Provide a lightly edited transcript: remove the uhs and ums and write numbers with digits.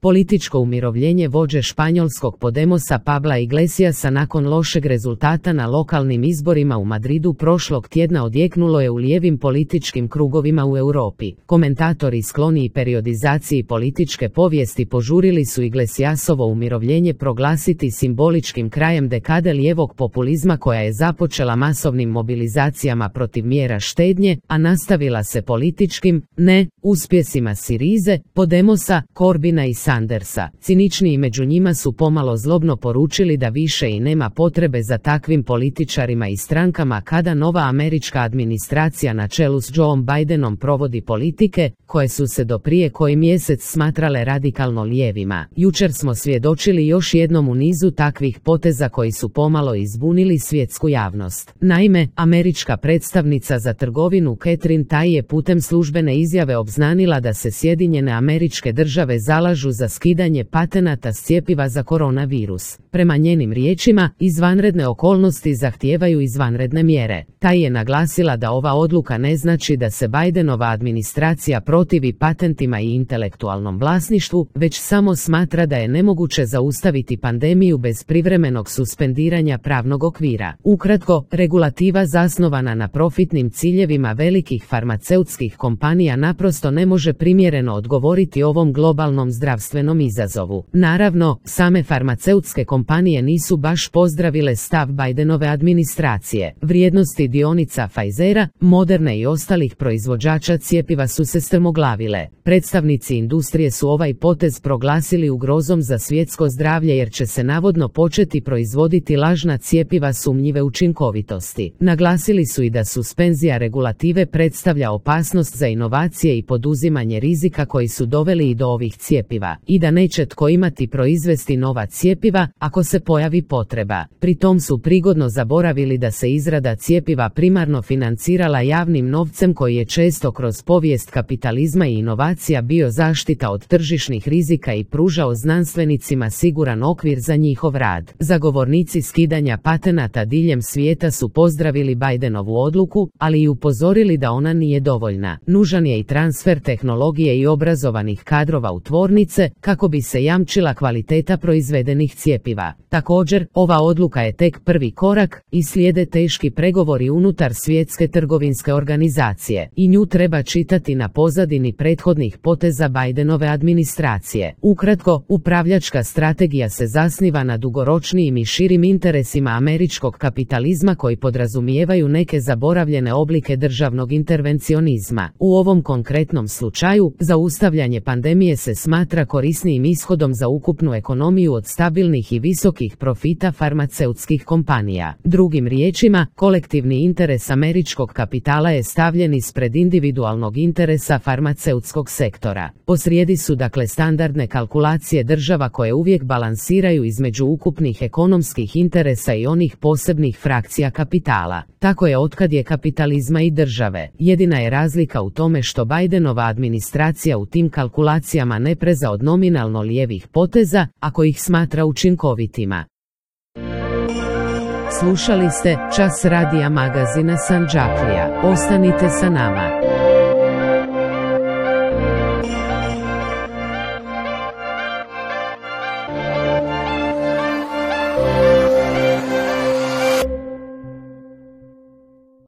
Političko umirovljenje vođe španjolskog Podemosa Pabla Iglesiasa nakon lošeg rezultata na lokalnim izborima u Madridu prošlog tjedna odjeknulo je u lijevim političkim krugovima u Europi. Komentatori skloniji periodizaciji političke povijesti požurili su Iglesiasovo umirovljenje proglasiti simboličkim krajem dekade lijevog populizma koja je započela masovnim mobilizacijama protiv mjera štednje, a nastavila se političkim, uspjesima Sirize, Podemosa, Corbina i Sandersa. Ciničniji među njima su pomalo zlobno poručili da više i nema potrebe za takvim političarima i strankama kada nova američka administracija na čelu s Joeom Bidenom provodi politike koje su se do prije koji mjesec smatrale radikalno lijevima. Jučer smo svjedočili još jednom u nizu takvih poteza koji su pomalo izbunili svjetsku javnost. Naime, američka predstavnica za trgovinu Katherine Tai je putem službene izjave obznanila da se Sjedinjene Američke Države zalažu za skidanje patenata s cjepiva za koronavirus. Prema njenim riječima, izvanredne okolnosti zahtijevaju izvanredne mjere. Tai je naglasila da ova odluka ne znači da se Bidenova administracija protivi patentima i intelektualnom vlasništvu, već samo smatra da je nemoguće zaustaviti pandemiju bez privremenog suspendiranja pravnog okvira. Ukratko, regulativa zasnovana na profitnim ciljevima velikih farmaceutskih kompanija naprosto ne može primjereno odgovoriti ovom globalnom zdravstvenom izazovu. Naravno, same farmaceutske kompanije nisu baš pozdravile stav Bidenove administracije. Vrijednosti dionica Pfizera, Moderne i ostalih proizvođača cjepiva su se strmoglavile. Predstavnici industrije su ovaj potez proglasili ugrozom za svjetsko zdravlje jer će se navodno početi proizvoditi lažna cjepiva sumnjive učinkovitosti. Naglasili su i da suspenzija regulative predstavlja opasnost za inovacije i poduzimanje rizika koji su doveli i do ovih cjepiva, i da neće tko imati proizvesti nova cjepiva ako se pojavi potreba. Pri tom su prigodno zaboravili da se izrada cjepiva primarno financirala javnim novcem koji je često kroz povijest kapitalizma i inovacija bio zaštita od tržišnih rizika i pružao znanstvenicima siguran okvir za njihov rad. Zagovornici skidanja patenata diljem svijeta su pozdravili Bidenovu odluku, ali i upozorili da ona nije dovoljna. Nužan je i transfer tehnologije i obrazovanih kadrova u tvornice kako bi se jamčila kvaliteta proizvedenih cjepiva. Također, ova odluka je tek prvi korak i slijede teški pregovori unutar Svjetske trgovinske organizacije i nju treba čitati na pozadini prethodnih poteza Bidenove administracije. Ukratko, upravljačka strategija se zasniva na dugoročnijim i širim interesima američkog kapitalizma koji podrazumijevaju neke zaboravljene oblike državnog intervencionizma. U ovom konkretnom slučaju, zaustavljanje pandemije se smatra korisnijim ishodom za ukupnu ekonomiju od stabilnih i visokih profita farmaceutskih kompanija. Drugim riječima, kolektivni interes američkog kapitala je stavljen ispred individualnog interesa farmaceutskog sektora. Posrijedi su dakle standardne kalkulacije država koje uvijek balansiraju između ukupnih ekonomskih interesa i onih posebnih frakcija kapitala. Tako je otkad je kapitalizma i države. Jedina je razlika u tome što Bidenova administracija u tim kalkulacijama ne preza od nominalno lijevih poteza, ako ih smatra učinkovitima. Slušali ste Čas radija magazina Sandžaklija. Ostanite sa nama.